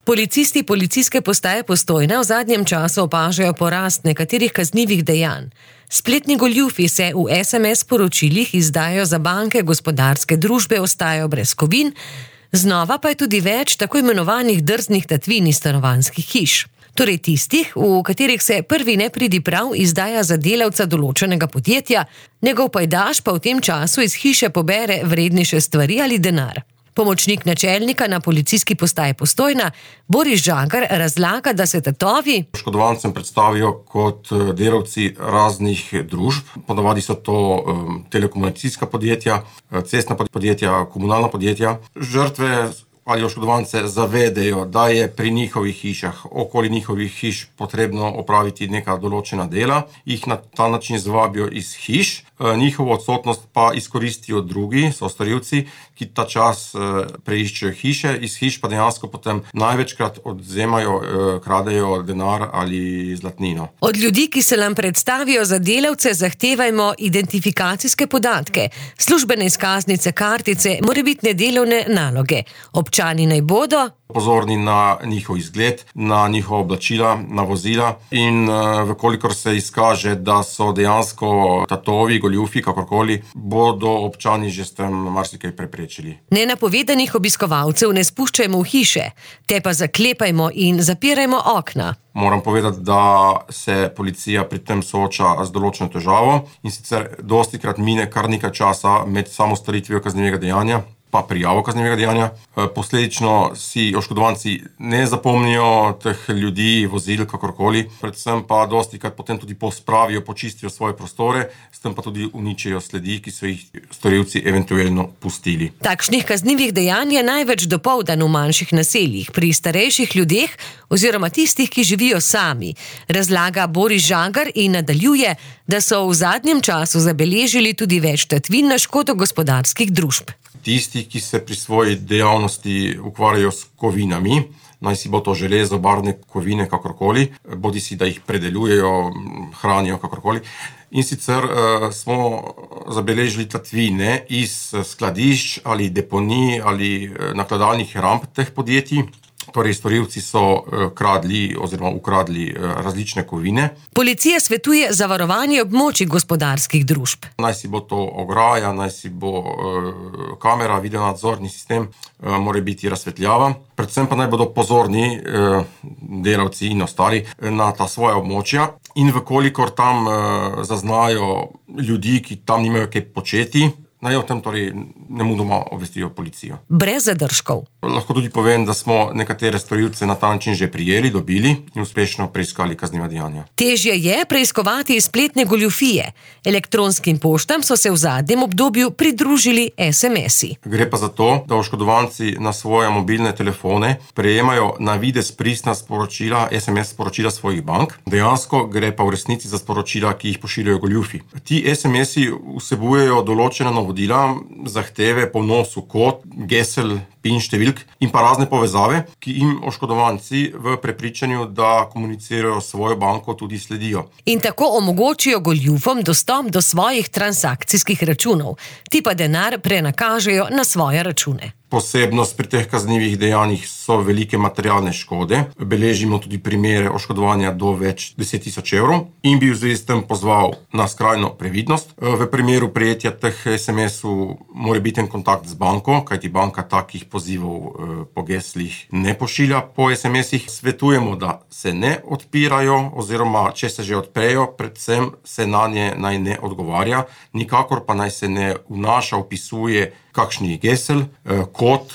Policisti policijske postaje Postojna v zadnjem času opažajo porast nekaterih kaznivih dejanj. Spletni goljufi se v SMS poročilih izdajo za banke, gospodarske družbe ostajajo brez kovin, znova pa je tudi več tako imenovanih drznih tatvin iz stanovanjskih hiš. Torej tistih, v katerih se prvi nepridiprav izdaja za delavca določenega podjetja, njegov pajdaš pa v tem času iz hiše pobere vrednejše stvari ali denar. Pomočnik načelnika na policijski postaji Postojna, Boris Žagar, razlaga, da se tatovi oškodovancem predstavijo kot delavci raznih družb. Ponavadi so to telekomunikacijska podjetja, cestna podjetja, komunalna podjetja. Žrtve ali oškodovance zavedajo, da je pri njihovih hišah, okoli njihovih hiš potrebno opraviti neka določena dela, jih na ta način zvabijo iz hiš, njihovo odsotnost pa izkoristijo drugi, sostorilci, ki ta čas preiščejo hiše, iz hiš pa dejansko potem največkrat odvzemajo, kradejo denar ali zlatnino. Od ljudi, ki se nam predstavijo za delavce, zahtevajmo identifikacijske podatke, službene izkaznice, kartice, morebitne delovne naloge. Občani naj bodo pozorni na njihov izgled, na njihova oblačila, na vozila in vkolikor se izkaže, da so dejansko tatovi, goljufi, kakorkoli, bodo občani že s tem marsikaj preprečili. Nenapovedanih obiskovalcev ne spuščajmo v hiše, te pa zaklepajmo in zapirajmo okna. Moram povedati, da se policija pri tem sooča z določeno težavo in sicer dostikrat mine kar nekaj časa med samo storitvijo kaznivega dejanja pa prijavo kaznivega dejanja. Posledično si oškodovanci ne zapomnijo teh ljudi, vozil, kakorkoli. Predvsem pa dostikrat potem tudi pospravijo, počistijo svoje prostore, s tem pa tudi uničijo sledi, ki so jih storilci eventualno pustili. Takšnih kaznivih dejanj je največ dopoldan v manjših naseljih, pri starejših ljudeh oziroma tistih, ki živijo sami, razlaga Boris Žagar in nadaljuje, da so v zadnjem času zabeležili tudi več tatvin na škodo gospodarskih družb. Tisti, ki se pri svoji dejavnosti ukvarjajo s kovinami, naj si bo to železo, barvne kovine, kakorkoli, bodi si, da jih predelujejo, hranijo, kakorkoli. In sicer smo zabeležili tatvine iz skladišč ali deponij ali nakladalnih ramp teh podjetij. Torej, storilci so kradli oziroma ukradli različne kovine. Policija svetuje zavarovanje območij gospodarskih družb. Naj si bo to ograja, naj si bo kamera, videonadzorni sistem, mora biti razsvetljava. Predvsem pa naj bodo pozorni delavci in ostali na ta svoja območja in vkolikor tam zaznajo ljudi, ki tam nimajo kaj početi, naj o tem torej nemudoma obvestijo policijo. Brez zadržkov. Lahko tudi povem, da smo nekatere storilce na ta način že prijeli, dobili in uspešno preiskali kazniva dejanja. Težje je preiskovati spletne goljufije. Elektronskim poštam so se v zadnjem obdobju pridružili SMS-i. Gre pa za to, da oškodovanci na svoje mobilne telefone prejemajo na videz pristna sporočila, SMS sporočila svojih bank. Dejansko gre pa v resnici za sporočila, ki jih pošiljajo goljufi. Ti SMS-i vsebujejo določena navodila, zahteve po vnosu kod, gesel, PIN številk in pa razne povezave, ki jim oškodovanci v prepričanju, da komunicirajo s svojo banko, tudi sledijo. In tako omogočijo goljufom dostop do svojih transakcijskih računov, ti pa denar prenakažejo na svoje račune. Posebnost pri teh kaznivih dejanjih so velike materialne škode. Beležimo tudi primere oškodovanja do več 10 000 evrov in bi v zvezi s tem pozval na skrajno previdnost. V primeru prejetja teh SMS-ov mora biti en kontakt z banko, kajti banka takih pozivov po geslih ne pošilja po SMS-ih. Svetujemo, da se ne odpirajo oziroma če se že odprejo, predvsem se na nje naj ne odgovarja, nikakor pa naj se ne vnaša, vpisuje kakšnih gesel, kod,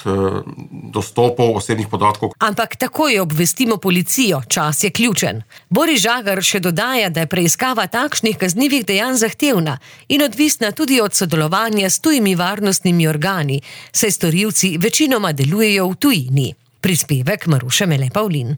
dostopov, osebnih podatkov. Ampak takoj obvestimo policijo, čas je ključen. Boris Žagar še dodaja, da je preiskava takšnih kaznivih dejanj zahtevna in odvisna tudi od sodelovanja s tujimi varnostnimi organi, saj storilci večinoma delujejo v tujini. Prispevek Maruše Mele Pavlin.